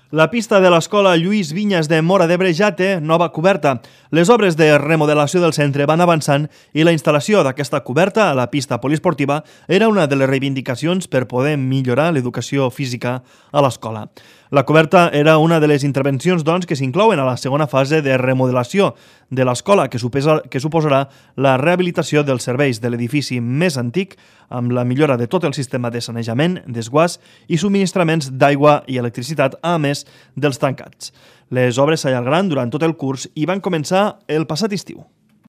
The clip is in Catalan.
La pista de l'escola Lluís Vinyes de Móra d'Ebre ja té nova coberta. Les obres de remodelació del centre van avançant i la instal·lació d'aquesta coberta a la pista poliesportiva era una de les reivindicacions per poder millorar l'educació física a l'escola. La coberta era una de les intervencions que s'inclouen a la segona fase de remodelació de l'escola, que suposarà la rehabilitació dels serveis de l'edifici més antic amb la millora de tot el sistema de sanejament, desguàs i subministraments d'aigua i electricitat, a més dels tancats. Les obres s'allargaran durant tot el curs i van començar el passat estiu.